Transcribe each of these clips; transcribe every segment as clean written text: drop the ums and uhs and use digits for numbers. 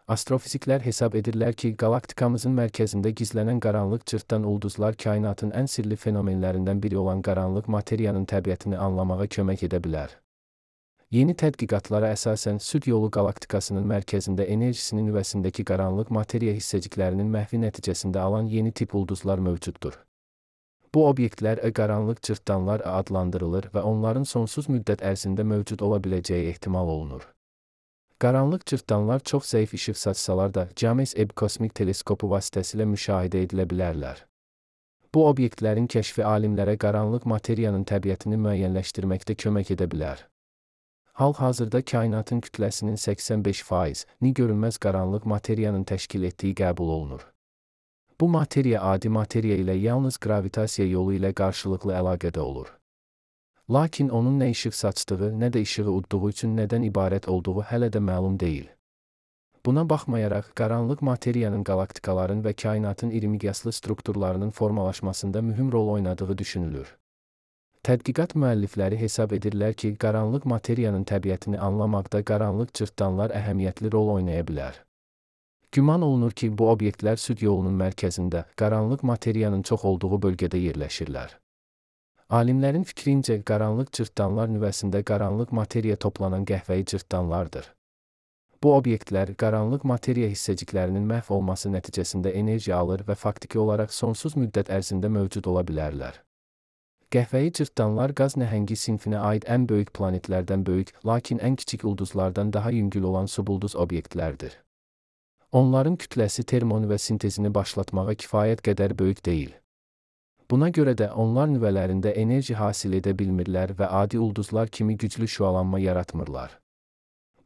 Astrofiziklər hesab edirlər ki, qalaktikamızın mərkəzində gizlənən qaranlıq cırtdan ulduzlar kainatın ən sirli fenomenlərindən biri olan qaranlıq materiyanın təbiətini anlamağa kömək edə bilər. Yeni tədqiqatlara əsasən Süd yolu qalaktikasının mərkəzində enerjisinin nüvəsindəki qaranlıq materiya hissəciklərinin məhvi nəticəsində alan yeni tip ulduzlar mövcuddur. Bu obyektlər qaranlıq cırtdanlar adlandırılır və onların sonsuz müddət ərzində mövcud ola biləcəyi ehtimal olunur. Qaranlıq cırtdanlar çox zəif işıq saçsalar da James Webb kosmik teleskopu vasitəsilə müşahidə edilə bilərlər. Bu obyektlərin kəşfi alimlərə qaranlıq materiyanın təbiətini müəyyənləşdirməkdə kömək edə bilər. Hal-hazırda kainatın kütləsinin 85%-ni görünməz qaranlıq materiyanın təşkil etdiyi qəbul olunur. Bu materiya adi materiya ilə yalnız qravitasiya yolu ilə qarşılıqlı əlaqədə olur. Lakin onun nə işıq saçdığı, nə də işığı udduğu üçün nədən ibarət olduğu hələ də məlum deyil. Buna baxmayaraq, qaranlıq materiyanın qalaktikaların və kainatın iri miqyaslı strukturlarının formalaşmasında mühüm rol oynadığı düşünülür. Tədqiqat müəllifləri hesab edirlər ki, qaranlıq materiyanın təbiətini anlamaqda qaranlıq cırtdanlar əhəmiyyətli rol oynaya bilər. Güman olunur ki, bu obyektlər Süd yolunun mərkəzində, qaranlıq materiyanın çox olduğu bölgədə yerləşirlər. Alimlərin fikrincə, qaranlıq cırtdanlar nüvəsində qaranlıq materiya toplanan qəhvəyi cırtdanlardır. Bu obyektlər qaranlıq materiya hissəciklərinin məhv olması nəticəsində enerji alır və faktiki olaraq sonsuz müddət ərzində mövcud ola bilərlər. Qəhvəyi cırtdanlar qaz nəhəngi sinfinə aid ən böyük planetlərdən böyük, lakin ən kiçik ulduzlardan daha yüngül olan subulduz obyektlərdir. Onların kütləsi termonüvə sintezini başlatmağa kifayət qədər böyük deyil. Buna görə də onlar nüvələrində enerji hasil edə bilmirlər və adi ulduzlar kimi güclü şüalanma yaratmırlar.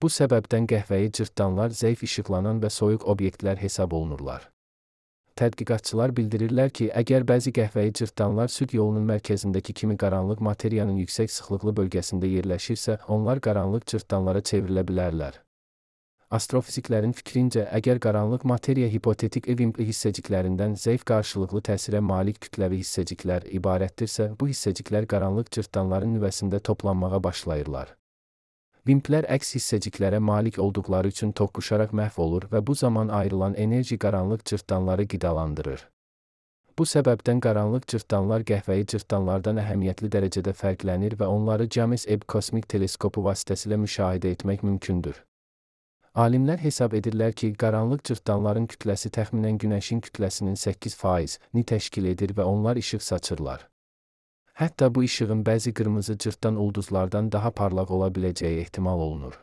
Bu səbəbdən qəhvəyi cırtdanlar zəif işıqlanan və soyuq obyektlər hesab olunurlar. Tədqiqatçılar bildirirlər ki, əgər bəzi qəhvəyi cırtdanlar Süd yolunun mərkəzindəki kimi qaranlıq materiyanın yüksək sıxlıqlı bölgəsində yerləşirsə, onlar qaranlıq cırtdanlara çevrilə bilərlər. Astrofiziklərin fikrincə, əgər qaranlıq materiya hipotetik vimpli hissəciklərindən zəif qarşılıqlı təsirə malik kütləvi hissəciklər ibarətdirsə, bu hissəciklər qaranlıq cırtdanların nüvəsində toplanmağa başlayırlar. Vimplər əks hissəciklərə malik olduqları üçün toqquşaraq məhv olur və bu zaman ayrılan enerji qaranlıq cırtdanları qidalandırır. Bu səbəbdən qaranlıq cırtdanlar qəhvəyi cırtdanlardan əhəmiyyətli dərəcədə fərqlənir və onları James Webb kosmik teleskopu vasitəsilə müşahidə etmək mümkündür. Alimlər hesab edirlər ki, qaranlıq cırtdanların kütləsi təxminən Günəşin kütləsinin 8%-ni təşkil edir və onlar işıq saçırlar. Hətta bu işığın bəzi qırmızı cırtdan ulduzlardan daha parlaq ola biləcəyi ehtimal olunur.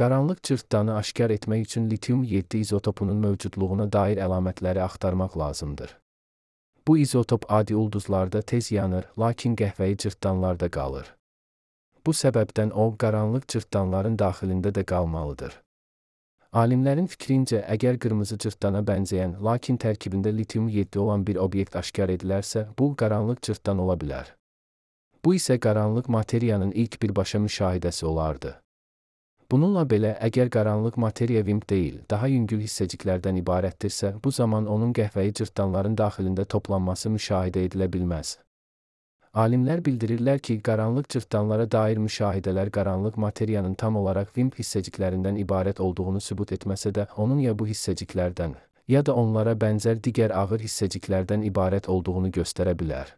Qaranlıq cırtdanı aşkar etmək üçün litium-7 izotopunun mövcudluğuna dair əlamətləri axtarmaq lazımdır. Bu izotop adi ulduzlarda tez yanır, lakin qəhvəyi cırtdanlarda qalır. Bu səbəbdən o, qaranlıq cırtdanların daxilində də qalmalıdır. Alimlərin fikrincə, əgər qırmızı cırtdana bənzəyən, lakin tərkibində litium-7 olan bir obyekt aşkar edilərsə, bu qaranlıq cırtdan ola bilər. Bu isə qaranlıq materiyanın ilk birbaşa müşahidəsi olardı. Bununla belə, əgər qaranlıq materiya vimp deyil, daha yüngül hissəciklərdən ibarətdirsə, bu zaman onun qəhvəyi cırtdanların daxilində toplanması müşahidə edilə bilməz. Alimlər bildirirlər ki, qaranlıq cırtdanlara dair müşahidələr qaranlıq materiyanın tam olaraq vimp hissəciklərindən ibarət olduğunu sübut etməsə də, onun ya bu hissəciklərdən, ya da onlara bənzər digər ağır hissəciklərdən ibarət olduğunu göstərə bilər.